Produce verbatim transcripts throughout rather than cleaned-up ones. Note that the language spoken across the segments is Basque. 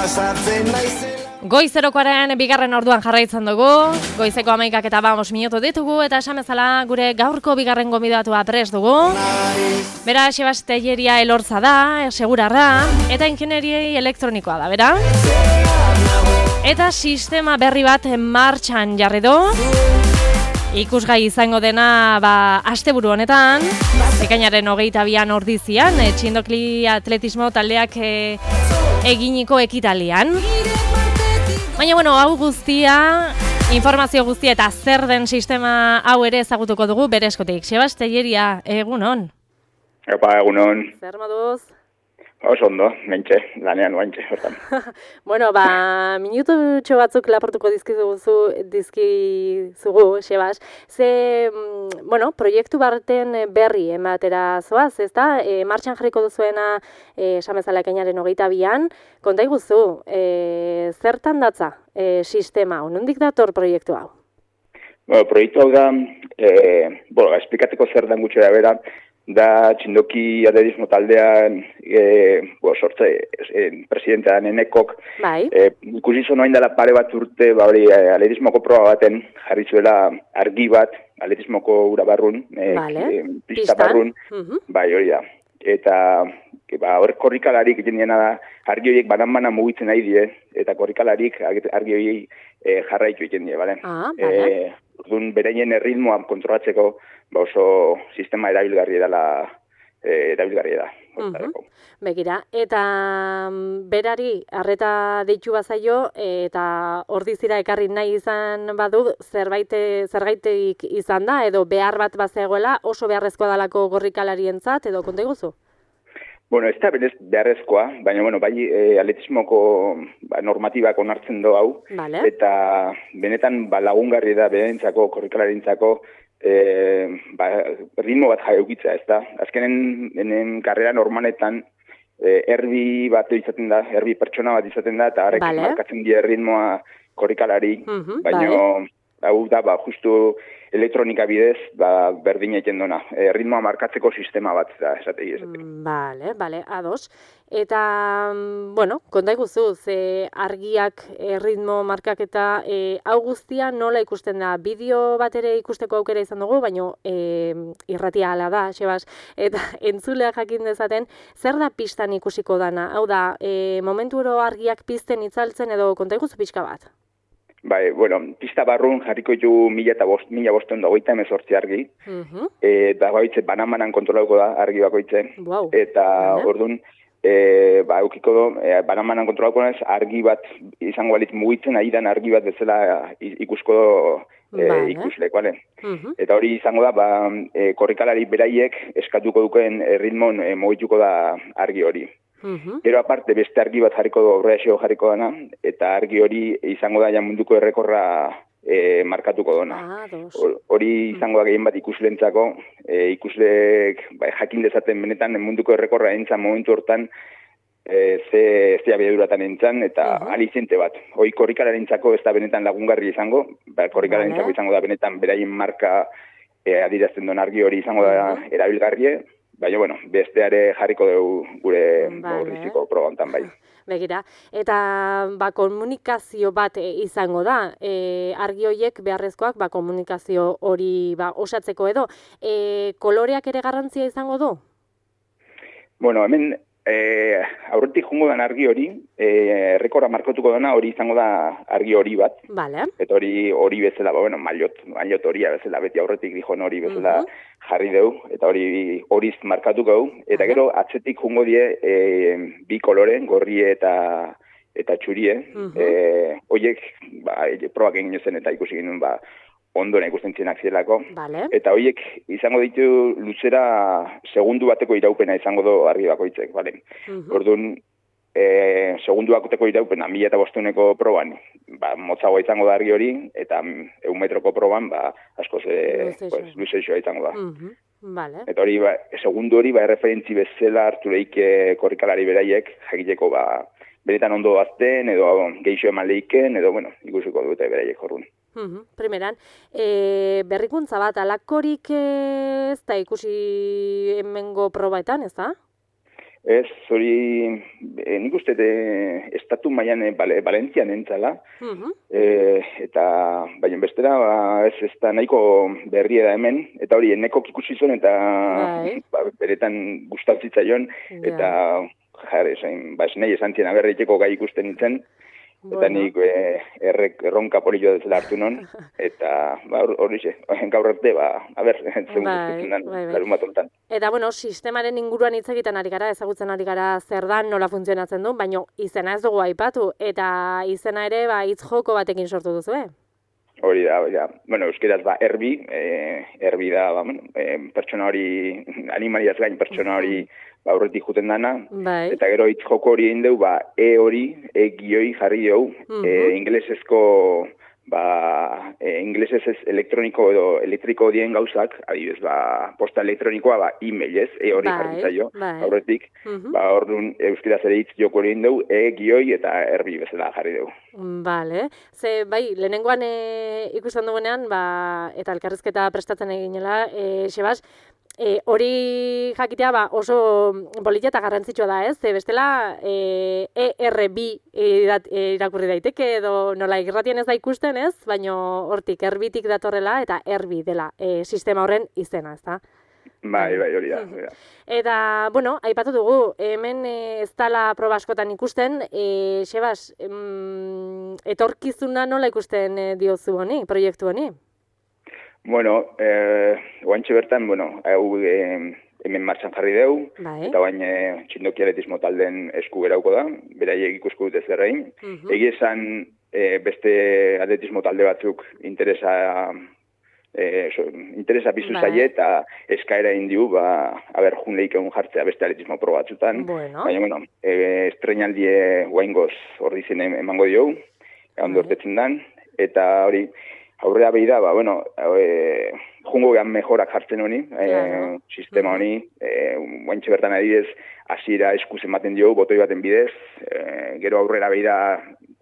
pasatzen naizela. Goizerokoaren bigarren orduan jarraitzen dugu, goizeko hamaikak eta bamos minutu ditugu, eta esan bezala gure gaurko bigarren gonbidatua prest dugu. Bera, Sebas Telleria Elorza da, segurarra, eta ingenieri elektronikoa da, bera? Eta sistema berri bat martxan jarri du. Ikusgai izango dena, ba, asteburu honetan, ekainaren hogeita bian ordizian, e, txindokli atletismo taldeak e, eginiko ekitalian. Baina, bueno, hau guztia, informazio guztia eta zer den sistema hau ere ezagutuko dugu bere eskotik. Sebas Telleria, egunon? Epa, egunon. Zer moduz? Oso ondo, mentxe, lanean guantxe, hortan. Bueno, ba, minututxo batzuk laportuko dizkizugu, dizkizugu, Sebas. Ze, bueno, proiektu baten berri ematera zoaz, ez da? E, martxan jarriko duzuena, e, esamezala ekainaren hogeita bian, konta iguzu, e, zertan datza e, sistema, nondik dator proiektu hau? Bueno, proiektu hau da, e, bueno, esplikateko zer dan gutxera bera, da txindoki atletismo taldean e, bo, sortze e, presidentea nenekok bai. e, ikusi zo noain dela pare bat urte ba, hori, atletismoko proba baten jarri zuela argi bat atletismoko ura barrun e, vale. e, pista barrun uh-huh. Bai hori da eta ba, hor korrikalarik jendiena da argi horiek banan-banan mugitzen nahi die eta korrikalarik argi horiek e, jarraitu egiten die, bale? Ah, vale. E, Orduan, bereien erritmoa kontrolatzeko ba oso sistema erabilgarri dela e, erabilgarri da. Uh-huh. Begira, eta berari arreta deitu bazaio eta ordizira ekarri nahi izan badu zerbait zergaitik izan da edo behar bat bazegoela oso beharrezkoa dalako gorrikalarientzat edo konta iguzu? Bueno, ez da berez beharrezkoa, baina bueno, bai e, atletismoko ba, normatibak onartzen do hau, vale. Eta benetan ba, lagungarri da berentzako, korrikalarientzako e, ba, ritmo bat jaeukitza, ez da. Azkenen enen karrera normaletan e, erbi bat izaten da, erbi pertsona bat izaten da, eta harrek vale. Markatzen die ritmoa korrikalari, uh-huh, baina vale. Hau da, ba, justu elektronika bidez, ba, berdin egiten dona. E, ritmoa markatzeko sistema bat da, esategi esategi. Bale, bale, ados. Eta, bueno, konta iguzu, ze argiak e, ritmo markaketa, e, hau guztia nola ikusten da? Bideo bat ere ikusteko aukera izan dugu, baina e, irratia hala da, Sebas, eta entzuleak jakin dezaten, zer da pistan ikusiko dana? Hau da, e, momentu oro argiak pizten itzaltzen edo konta iguzu pixka bat? Bai, bueno, pista barrun jarriko ditu mila eta bost, mila bosteun da goita emezortzi argi. Uh-huh. Eta baitze banan-banan kontrolauko da argi bakoitze. Wow. Eta vale. Orduan, e, ba, eukiko do, e, banan-banan kontrolauko nez, argi bat izango balitz mugitzen, ari dan argi bat bezala ikusko e, vale. Ikuslek, bale? Uh-huh. Eta hori izango da, ba, e, korrikalari beraiek eskatuko duken ritmon e, mugituko da argi hori. Uh-huh. Gero aparte beste argi bat jarriko du, horreaxeo jarriko dana, eta argi hori izango da ja munduko errekorra e, markatuko dona. Ah, hori izango da gehien bat ikuslentzako, e, ikuslek ba, jakin dezaten benetan munduko errekorra entzan momentu hortan e, ze, ze abiaduratan entzan, eta uh-huh. alizente bat. Hoi korrikalarientzako ez da benetan lagungarri izango, ba, korrikalarientzako vale. Izango da benetan beraien marka e, adirazten duen argi hori izango da uh-huh. erabilgarrie, baina, bueno, besteare jarriko dugu gure borriziko vale. Probantan bai. Begira, eta ba, komunikazio bat izango da, e, argi horiek beharrezkoak ba, komunikazio hori ba, osatzeko edo, e, koloreak ere garrantzia izango du? Bueno, hemen e, aurretik jungo den argi hori, e, errekorra markatuko dena hori izango da argi hori bat. Vale. Eta hori hori bezala, ba, bueno, maillot, maillot horia bezala, beti aurretik dijon hori bezala uh-huh. jarri dugu, eta hori horiz markatuko dugu. Eta gero atzetik jungo die e, bi kolore, gorrie eta eta txurie. Uh-huh. E, horiek, ba, probak egin zen eta ikusi ginen, ba, ondoen ikusten zinak zirelako. Vale. Eta horiek izango ditu luzera segundu bateko iraupena izango du argi bakoitzek, bale? Uh-huh. Orduan, e, segundu bateko iraupena mila eta bosteuneko proban, ba, motzagoa izango da argi hori, eta eun metroko proban, ba, asko ze, pues, luzeixoa izango da. Uh-huh. Vale. Eta hori, ba, segundu hori, ba, erreferentzi bezala hartu lehike korrikalari beraiek, jakiteko, ba, benetan ondo azten, edo geixo eman lehiken, edo, bueno, ikusiko dute beraiek jorrun. Uhum, primeran, e, berrikuntza bat, alakorik ez da ikusi hemengo probaetan, ez da? Ez, hori, e, nik uste de, estatu mailan e, bale, Valentzian entzala, uh-huh. e, eta baina bestera, ba, ez ez da nahiko berria da hemen, eta hori, eneko ikusi zuen, eta ba, beretan gustatzaion, yeah. eta jare, zain, ba, esnei esan zien aberriteko gai ikusten nintzen, eta bueno. nik e, errek, erronka polillo dezela hartu non, eta ba, hori xe, gaur arte, ba, haber, zegoen guztetzen den, larun bat honetan. Eta, bueno, sistemaren inguruan hitz egiten ari gara, ezagutzen ari gara zer dan, nola funtzionatzen du, baina izena ez dugu aipatu, eta izena ere, ba, hitz joko batekin sortu duzu, eh? Hori da, hori da. Bueno, euskeraz, ba, erbi, e, erbi da, ba, bueno, e, pertsona hori, animaliaz gain pertsona hori, ba, aurretik juten dana, bai. Eta gero hitz joko hori egin dugu, ba, e hori, e gioi jarri dugu, uh-huh. e, inglesezko, ba, e, inglesez ez elektroniko edo elektriko dien gauzak, adibidez, ba, posta elektronikoa, ba, e-mail ez, e hori jarri zaio, bai. Aurretik, uh-huh. ba, orduan, euskeraz ere hitz joko hori egin dugu, e gioi eta erbi bezala jarri dugu. Bale, ze, bai, lehenengoan e, ikusten dugunean, ba, eta elkarrizketa prestatzen eginela, e, Sebas, E, hori jakitea ba, oso polita eta garrantzitsua da, ez? Bestela e, E R B irakurri daiteke edo nola irratien ez da ikusten, ez? Baina hortik erbitik datorrela eta erbi dela e, sistema horren izena, ez da? Bai, bai, hori da. Eta, bueno, aipatu dugu, hemen e, ez dala proba askotan ikusten, e, Sebas, em, etorkizuna nola ikusten e, diozu honi, proiektu honi? Bueno, eh, oantxe bertan, bueno, hau eh, hemen martxan jarri deu, bai. Eta bain eh, txindoki atletismo talden esku gerauko da, beraiek ikusko dute zerrein. Uh-huh. Egi esan eh, beste atletismo talde batzuk interesa, eh, so, interesa bizu bai. Zaie eta eskaera indiu, ba, haber jun lehik egun jartzea beste atletismo pro batzutan. Bueno. Baina, bueno, eh, estrenaldie guaingoz hor dizen emango diogu, egon dortetzen dan, eta hori, aurrera behi da, ba, bueno, e, jungo gehan mejorak jartzen honi, claro. e, sistema honi, e, guaintxe bertan adidez, hasiera eskuz ematen diogu, botoi baten bidez, e, gero aurrera behi da,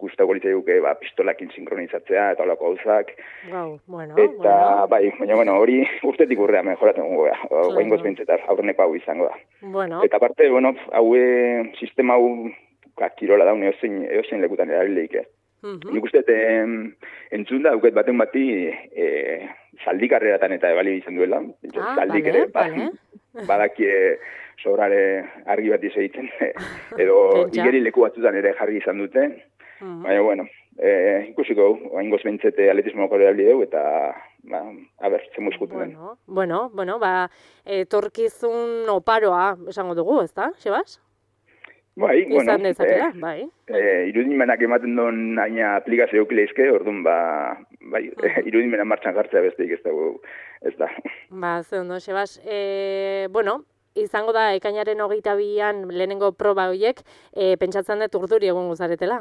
guztako litzai duke, ba, pistolakin sinkronizatzea, eta holako gauzak. Wow, bueno, eta, bueno. bai, baina, bueno, hori urtetik urrea mejoratzen gungo geha, claro. Guaingoz bintzetar, aurreneko hau izango da. Bueno. Eta parte, bueno, hau sistema hau, kirola daun, eozein, eozein lekutan erabilileik, eh? Uh-huh. Nik uste, entzun da, auket baten bati, e, zaldi karreratan eta ebali izan duela. Ah, zaldik bale, ere, bale. Badakie sobrare argi bat izegiten, edo igeri leku batzutan ere jarri izan dute. Uh-huh. Baina, bueno, e, ikusiko, oaingoz bentzete atletismo kore erabili dugu, eta, ba, a ber, zemu eskuten den. Bueno, bueno, bueno, ba, etorkizun oparoa esango dugu, ez da, Sebas? Bai, bueno, dezakela, eh, bai. Eh, irudimenak ematen duen aina aplikazio eukileizke, orduan, ba, bai, uh-huh. irudimena martxan jartzea besteik ez dago, ez da. Ba, ze ondo, Sebas, e, bueno, izango da, ekainaren hogeita bian lehenengo proba horiek, e, pentsatzen dut urduri egon guzaretela.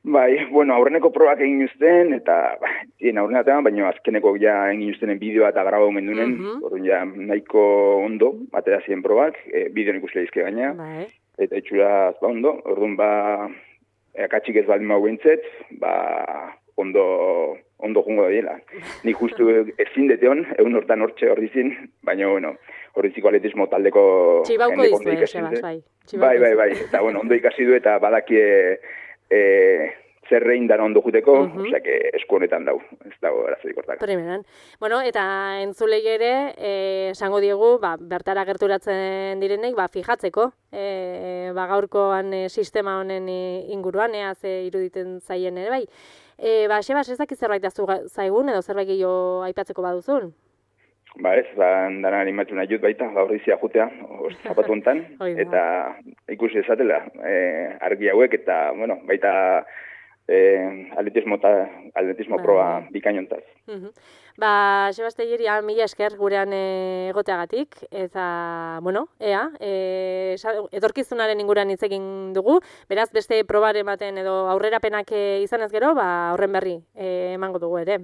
Bai, bueno, aurreneko probak egin uzten, eta, ba, zien aurrenatean, baina azkeneko ja egin uztenen bideoa eta graba omen dunen, uh-huh. orduan ja nahiko ondo, atera ziren probak, e, bideon ikusle izke gaina. Bai. Eta itxuraz, ba, ondo, orduan, ba, akatxik ez baldin mau bintzet, ba, ondo, ondo jungo da dela. Nik justu ezin deteon, egun hortan hortxe hor dizin, baina, bueno, horriziko atletismo taldeko... Txibauko dizu, eh, Sebas, bai. Bai, bai, bai, eta, bueno, ondo ikasi du eta badakie e, zerrein dan ondo juteko, uh-huh. osea, que esku honetan dau, ez dago arazorik hortak. Primeran. Bueno, eta entzulei ere, esango diegu, ba, bertara gerturatzen direnek, ba, fijatzeko, e, ba, gaurkoan e, sistema honen inguruan, ea ze iruditen zaien ere, bai. E, ba, Sebas, ez dakit zerbait azu zaigun, edo zerbait gehiago aipatzeko baduzun? Ba ez, ba, dana animatu nahi dut baita, gaur izia jutea, zapatu hontan, eta ikusi ezatela, e, argi hauek, eta, bueno, baita, Eh, atletismo, ta, atletismo ba, proba bikainontaz. Uh-huh. Ba, Sebas Telleria, mila esker gurean egoteagatik, eta, bueno, ea, e, etorkizunaren inguruan hitz egin dugu, beraz, beste probaren baten edo aurrerapenak izanez gero, ba, horren berri e, emango dugu ere.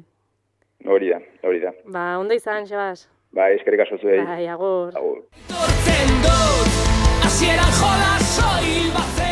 Hori da, hori da. Ba, ondo izan, Sebas. Ba, eskerrik asko zuei. Bai, agur. Agur. Tortzen dut, hasieran jola soil bat